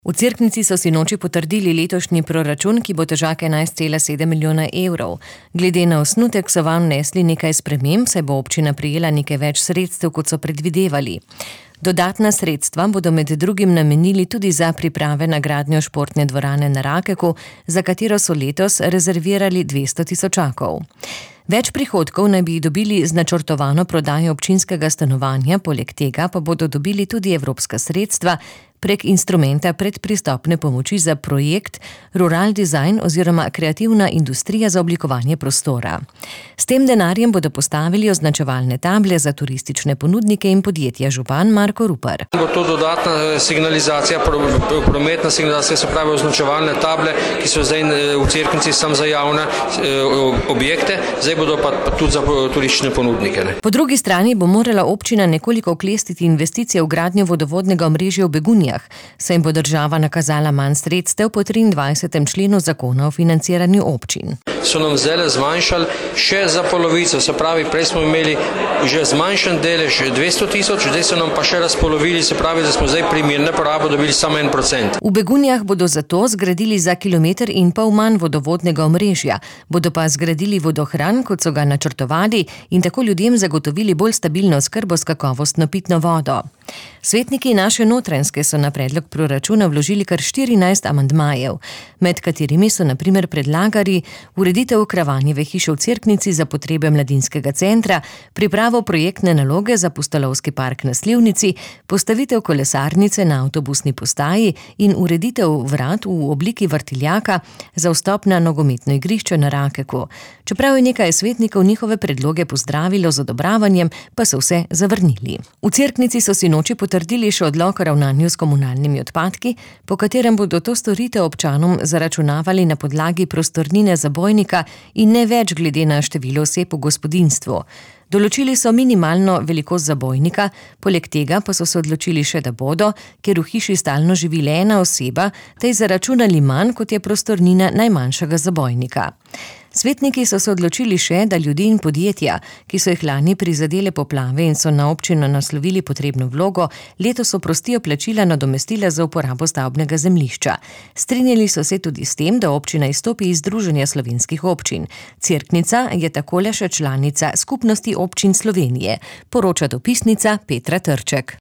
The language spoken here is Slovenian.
V Cerknici so sinoči potrdili letošnji proračun, ki bo težak 11,7 milijona evrov. Glede na osnutek so vanj vnesli nekaj sprememb, saj bo občina prejela nekaj več sredstev, kot so predvidevali. Dodatna sredstva bodo med drugim namenili tudi za priprave na gradnjo športne dvorane na Rakeku, za katero so letos rezervirali 200 tisočakov. Več prihodkov naj bi dobili z načrtovano prodajo občinskega stanovanja, poleg tega pa bodo dobili tudi evropska sredstva prek instrumenta predpristopne pomoči za projekt Rural Design oziroma kreativna industrija za oblikovanje prostora. S tem denarjem bodo postavili označevalne table za turistične ponudnike in podjetja. Župan Marko Rupar. Bo to dodatna signalizacija, prometna signalizacija, se pravi označevalne table, ki so zdaj v Cerknici samo za javne objekte, zdaj bodo pa tudi za turistične ponudnike. Po drugi strani bo morala občina nekoliko oklestiti investicije v gradnjo vodovodnega omrežja v Begunjah, saj jim bo država nakazala manj sredstev po 23. členu zakona o financiranju občin. So nam zdaj zmanjšali še za polovico, se pravi, prej smo imeli že zmanjšan delež 200 tisoč, zdaj so nam pa še razpolovili, se pravi, da smo zdaj primirne porabe dobili samo 1%. V Begunjah bodo zato zgradili za 1,5 kilometra manj vodovodnega omrežja, bodo pa zgradili vodohran, kot so ga načrtovali, in tako ljudem zagotovili bolj stabilno oskrbo s kakovostno pitno vodo. Svetniki naše Notranjske so na predlog proračuna vložili kar 14 amandmajev, med katerimi so na primer predlagali ureditev Kravanjeve hiše v Cerknici za potrebe mladinskega centra, pripravo projektne naloge za Pustolovski park na Slivnici, postavitev kolesarnice na avtobusni postaji in ureditev vrat v obliki vrtiljaka za vstop na nogometno igrišče na Rakeku. Čeprav je nekaj svetnikov njihove predloge pozdravilo z odobravanjem, pa so vse zavrnili. V Cerknici so sinoči potrdili še odlok o ravnanju s komunalnimi odpadki, po katerem bodo to storitev občanom zaračunavali na podlagi prostornine zabojnika in ne več glede na število oseb v gospodinjstvu. Določili so minimalno velikost zabojnika, poleg tega pa so se odločili še, da bodo, ker v hiši stalno živi le ena oseba, tej zaračunali manj, kot je prostornina najmanjšega zabojnika. Svetniki so se odločili še, da ljudi in podjetja, ki so jih lani prizadele poplave in so na občino naslovili potrebno vlogo, letos oprostijo plačila nadomestila za uporabo stavbnega zemljišča. Strinjali so se tudi s tem, da občina izstopi iz Združenja slovenskih občin. Cerknica je takole še članica Skupnosti občin Slovenije, poroča dopisnica Petra Trček.